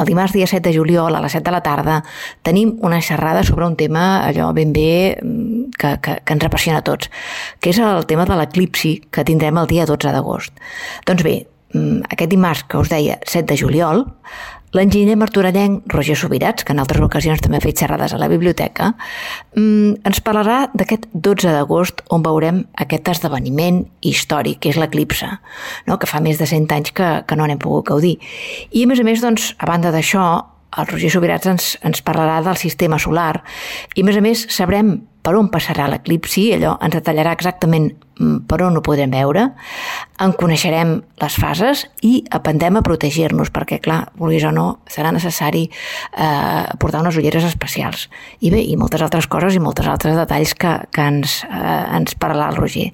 el dimarts dia 7 de juliol a les 7 de la tarda tenim una xerrada sobre un tema allò ben bé que ens apassiona a tots, que és el tema de l'eclipsi que tindrem el dia 12 d'agost. Doncs bé, aquest dimarts que us deia 7 de juliol, l'enginyer martorellenc Roger Subirats, que en altres ocasions també ha fet xerrades a la biblioteca, ens parlarà d'aquest 12 d'agost on veurem aquest esdeveniment històric, que és l'eclipse, no? Que fa més de 100 anys que no n'hem pogut gaudir. I a més, doncs, a banda d'això, el Roger Subirats ens parlarà del sistema solar i a més sabrem per on passarà l'eclipsi, allò ens detallarà exactament per on ho podrem veure, en coneixerem les fases i aprendrem a protegir-nos, perquè, clar, vulguis o no, serà necessari portar unes ulleres especials. I bé, i moltes altres coses i moltes altres detalls que ens parlarà el Roger.